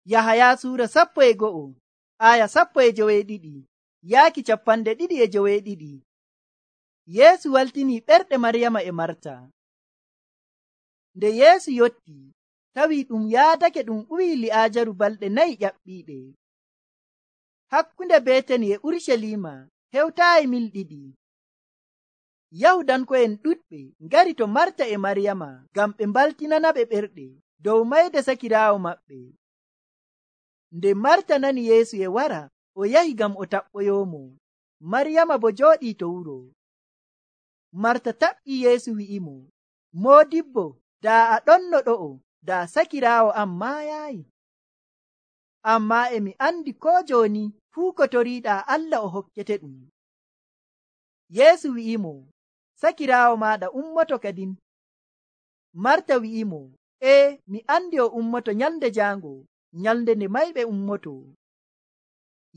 Yahaya suura 12 aya 12 yaaki 22. Yeesu waltini ɓerɗe Maryama e Marta. Nde Yeesu yotti tawi ɗum yaadake ɗum ɓuyi Li'aajaru balɗe 4 ƴaɓɓiiɗe. Hakkunde Betani e Urusalima hewtaayi mil 2. Yahudanko'en ɗuɗɓe ngari to Marta e Maryama ngam ɓe mbaltinanaɓe ɓerɗe dow mayde sakiraawo maɓɓe. Nde Marta nani Yeesu e wara, o yahi ngam o taɓɓoyoomo. Maryama bo jooɗii to wuro. Marta taɓɓii Yeesu wi'imo, Moodibbo, daa a ɗonno ɗo'o, daa sakiraawo am maayaayi. Ammaa e mi andi koo jooni fuu ko toriiɗaa Allah o hokkete ɗum. Yeesu wi'imo, sakiraawo maaɗa ummoto kadin. Marta wi'imo, mi andi o ummoto nyalnde jaango, nyalnde nde mayɓe ummoto.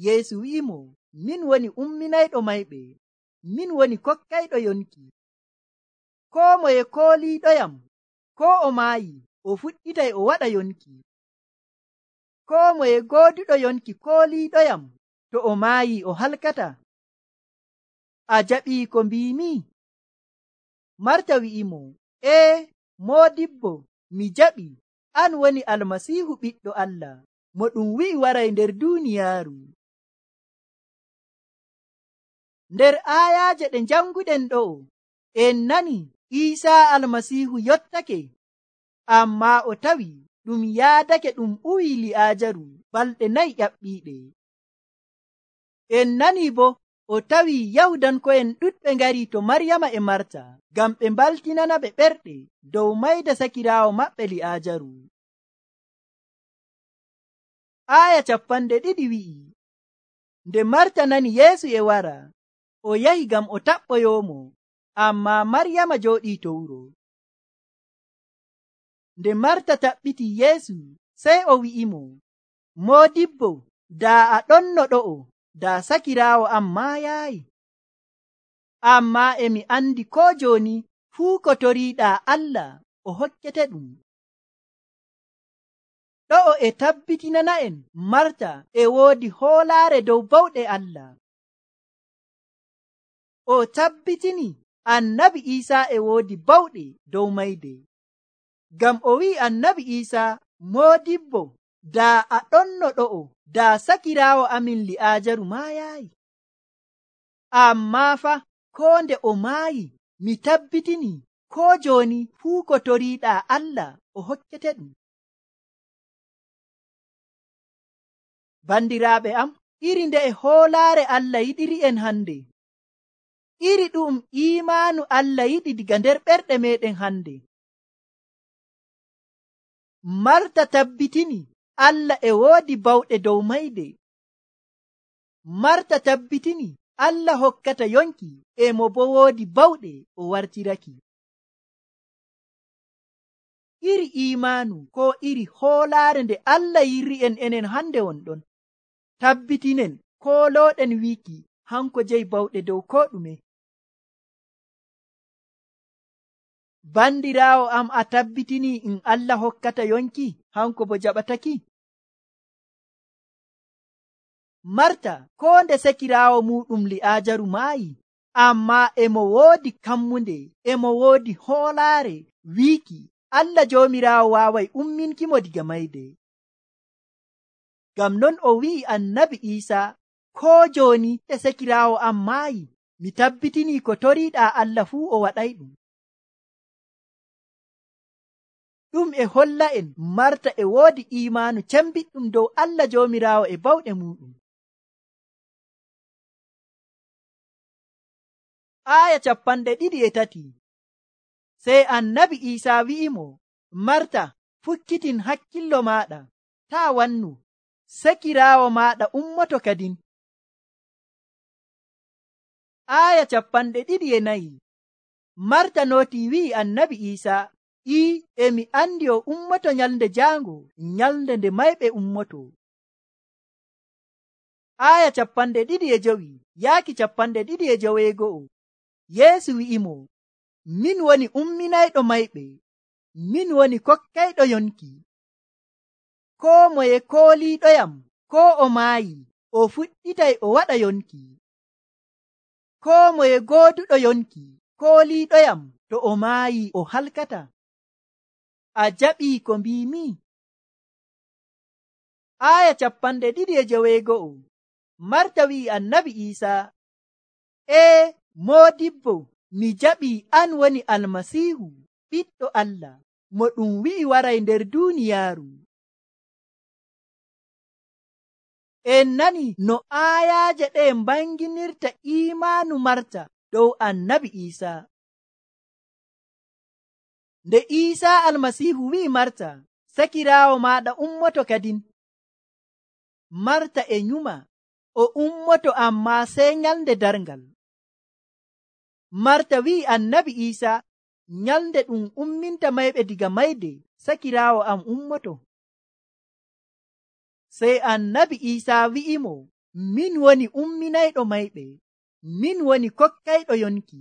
Yeesu wi'imo, min woni umminayɗo mayɓe, min woni kokkayɗo yonki. Koo moye kooliiɗoyam, koo o maayi, o fuɗɗitay o waɗa yonki. Koo moye gooduɗo yonki kooliiɗoyam, to o maayi o halkata. A jaɓii ko mbiimi? Marta wi'imo, Moodibbo, mi jaɓi. An woni Almasiihu ɓiɗɗo Allah, mo ɗum wi'i waray nder duuniyaaru. Nder aayaaje ɗe janguɗen ɗo'o, en nani Iisaa Almasiihu yottake, ammaa o tawi ɗum yaadake ɗum ɓuyi Li'aajaru balɗe 4 ƴaɓɓiiɗe. En nani bo o tawi Yahudanko'en ɗuɗɓe ngari to Maryama e Marta ngam ɓe mbaltinanaɓe ɓerɗe dow mayde sakiraawo maɓɓe Li'aajaru. Aya 20 wi'i, nde Marta nani Yeesu e wara, o yahi ngam o taɓɓoyoomo, ammaa Maryama jooɗii to wuro. Nde Marta taɓɓiti Yeesu, sey o wi'imo, Moodibbo, daa a ɗonno ɗo'o, daa sakiraawo am maayaayi. Ammaa e mi andi koo jooni fuu ko toriiɗaa Allah o hokkete ɗum. Ɗo'o e tabbitinana'en Marta e woodi hoolaare dow bawɗe Allah. O tabbitini Annabi Iisaa e woodi bawɗe dow mayde. Ngam o wi'i Annabi Iisaa, Moodibbo, daa a ɗonno ɗo'o, daa sakiraawo amin Li'aajaru maayaayi. Ammaa fa koo nde o maayi, mi tabbitini koo jooni fuu ko toriiɗaa Allah o hokkete ɗum. Bandiraaɓe am, iri nde e hoolaare Allah yiɗiri'en hande. Iri ɗum iimaanu Allah yiɗi diga nder ɓerɗe meɗen hande. Marta tabbitini Allah e woodi bawɗe dow mayde. Marta tabbitini Allah hokkata yonki e mo bo woodi bawɗe o wartiraki. Iri iimaanu ko iri hoolaare nde Allah yirri'en enen hande wonɗon. Tabbitinen koolooɗen wiiki hanko jeyi bawɗe dow ko ɗume. Bandiraawo am, a tabbitini in Allah hokkata yonki hanko bo jaɓataki? Marta koo nde sakiraawo muɗum Li'aajaru maayi, ammaa emo woodi kammunde, emo woodi hoolaare wiiki Allah Joomiraawo waaway umminkimo diga mayde. Ngam non o wi'i Annabi Iisaa, koo jooni nde sakiraawo am maayi, mi tabbitini ko toriiɗaa Allah fuu o waɗay ɗum. Ɗum e holla'en Marta e woodi iimaanu cembiɗɗum dow Allah Joomiraawo e bawɗe muɗum. Aya 23 sey Annabi Iisaa wi'imo, Marta, fukkitin hakkillo maaɗa, taa wannu, sakiraawo maaɗa ummoto kadin. Aya 24 Marta nootii wi'i Annabi Iisaa, emi andi o ummoto nyalnde jaango, nyalnde nde mayɓe ummoto. Aya 25 yaaki 25 Yeesu wi'imo, min woni umminayɗo mayɓe, min woni kokkayɗo yonki. koo moye kooliiɗoyam koo o maayi o fuɗɗitay o waɗa yonki. Koo moye gooduɗo yonki kooliiɗoyam to o maayi o halkata. A jaɓii ko mbiimi? Aya 2:9 Marta wi'i Annabi Iisaa, moodibbo, mi jaɓii an woni Almasiihu, ɓiɗɗo Allah, mo ɗum wi'i waray nder duuniyaaru. En nani no aayaaje ɗe mbanginirta iimaanu Marta dow Annabi Iisaa. Nde Iisaa Almasiihu wi'i Marta, sakiraawo maaɗa ummoto kadin. Marta e nyuma, o ummoto ammaa sey nyalnde darngal. Marta wi'i Annabi Iisaa, nyalnde ɗum umminta mayɓe diga mayde, sakiraawo am ummoto. Sey Annabi Iisaa wi'imo, min woni umminayɗo mayɓe, min woni kokkayɗo yonki.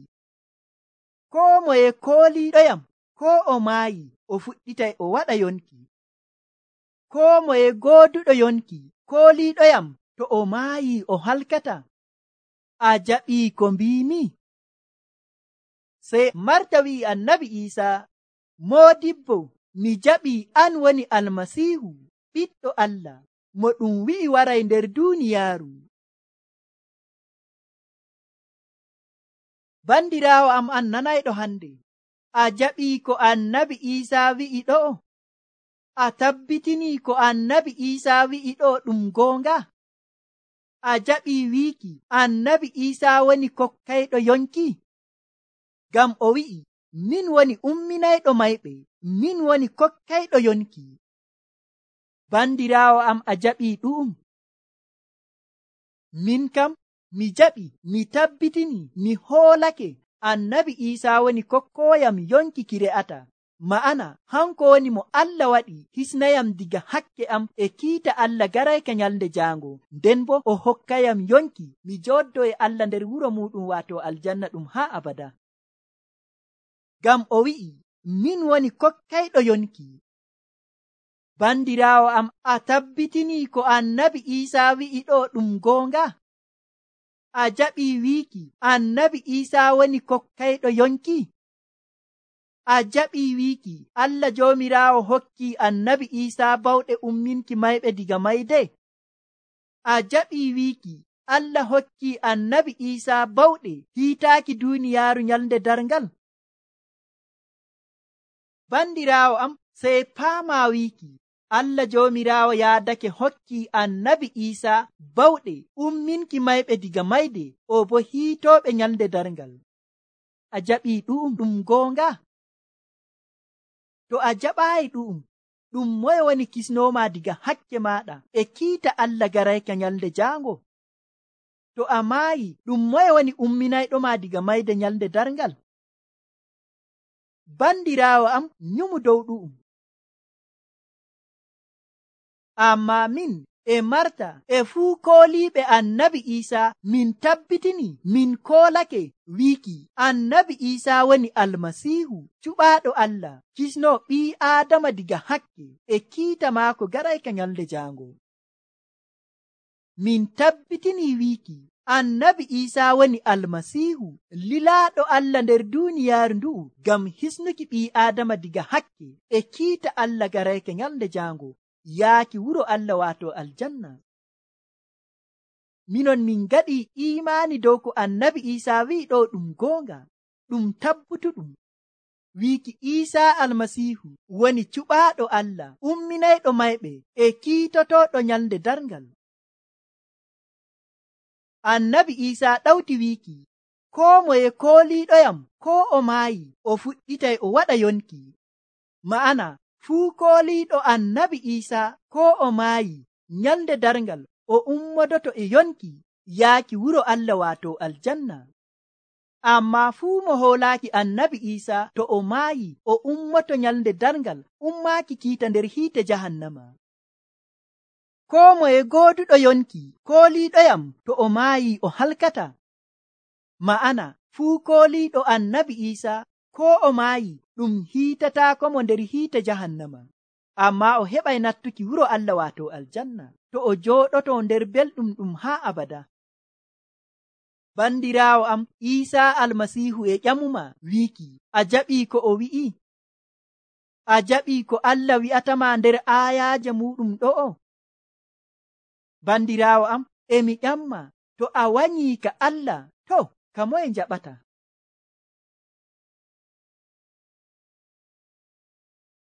Koo moye kooliiɗoyam koo o maayi o fuɗɗitay o waɗa yonki. Koo moye gooduɗo yonki kooliiɗoyam to o maayi o halkata. A jaɓii ko mbiimi? Sey Marta wi'i Annabi Iisaa, moodibbo, mi jaɓii an woni Almasiihu, ɓiɗɗo Allah, mo ɗum wi'i waray nder duuniyaaru. Bandiraawo am an nanayɗo hande, a jaɓii ko Annabi Iisaa wi'i ɗo'o? A tabbitinii ko Annabi Iisaa wi'i ɗo'o ɗum goonga? A jaɓii wiiki Annabi Iisaa woni kokkayɗo yonki? Ngam o wi'i, min woni umminayɗo mayɓe, min woni kokkayɗo yonki. Bandiraawo am, a jaɓii ɗu'um? Min kam mi jaɓi, mi tabbitini, mi hoolake Annabi Iisaa woni kokkooyam yonki ki re'ata. Ma'ana hanko woni mo Allah waɗi hisnayam diga hakke am e kiita Allah garayka nyalnde jaango, nden bo o hokkayam yonki mi jooɗdo e Allah nder wuro muɗum waato aljanna ɗum haa abada. Ngam o wi'i, min woni kokkayɗo yonki. Bandiraawo am, a tabbitinii ko Annabi Iisaa wi'i ɗo ɗum goonga? A jaɓii wiiki Annabi Iisaa woni kokkayɗo yonki? A jaɓii wiiki Allah Joomiraawo hokkii Annabi Iisaa bawɗe umminki mayɓe diga mayde? A jaɓii wiiki Allah hokkii Annabi Iisaa bawɗe hiitaaki duuniyaaru nyalnde darngal? Bandiraawo am, sey paamaa wiiki Allah Joomiraawo yaadake hokkii Annabi Iisaa bawɗe umminki mayɓe diga mayde, o bo hiitooɓe nyalnde darngal. A jaɓii ɗum goonga? To a jaɓaayi ɗum moye woni kisnooma diga hakke maaɗa e kiita Allah garayka nyalnde jaango? To a maayi, ɗum moye woni umminayɗoma diga mayde nyalnde darngal? Bandiraawo am, nyumu dow ɗu'um. Ammaa min e Marta e fuu kooliiɓe Annabi Iisaa min tabbitini, min koolake wiiki Annabi Iisaa woni Almasiihu, cuɓaaɗo Allah, kisnoo ɓii Aadama diga hakke e kiita maako garayka nyalnde jaango. Min tabbitini wiiki Annabi Iisaa woni Almasiihu, lilaaɗo Allah nder duuniyaaru ndu'u ngam hisnuki ɓii Aadama diga hakke e kiita Allah garayka nyalnde jaango, yaaki wuro Allah waato aljanna. Minon min ngaɗii iimaani dow ko Annabi Iisaa wi'i ɗo ɗum goonga, ɗum tabbutuɗum. Wiiki Iisaa Almasiihu woni cuɓaaɗo Allah, umminayɗo mayɓe e kiitotooɗo nyalnde darngal. Annabi Iisaa ɗawti wiiki, koo moye kooliiɗoyam koo o maayi o fuɗɗitay o waɗa yonki. Ma'ana fuu kooliiɗo Annabi Iisaa koo o maayi nyalnde darngal o ummodoto e yonki yaaki wuro Allah waato aljanna. Ammaa fuu mo hoolaaki Annabi Iisaa to o maayi o ummoto nyalnde darngal ummaaki kiita nder hiite jahannama. Koo moye gooduɗo yonki kooliiɗoyam to o maayi o halkata. Ma'ana fuu kooliiɗo Annabi Iisaa koo o maayi ɗum hiitataako mo nder hiite jahannama. Ammaa o heɓay nattuki wuro Allah waato aljanna, to o jooɗoto nder belɗum ɗum haa abada. Bandiraawo am, Iisaa Almasiihu e ƴamuma wiiki, a jaɓii ko o wi'i? A jaɓii ko Allah wi'atama nder aayaaje muɗum ɗo'o? Bandiraawo am, emi ƴamma, to a wanyii ka Allah, to ka moye njaɓata?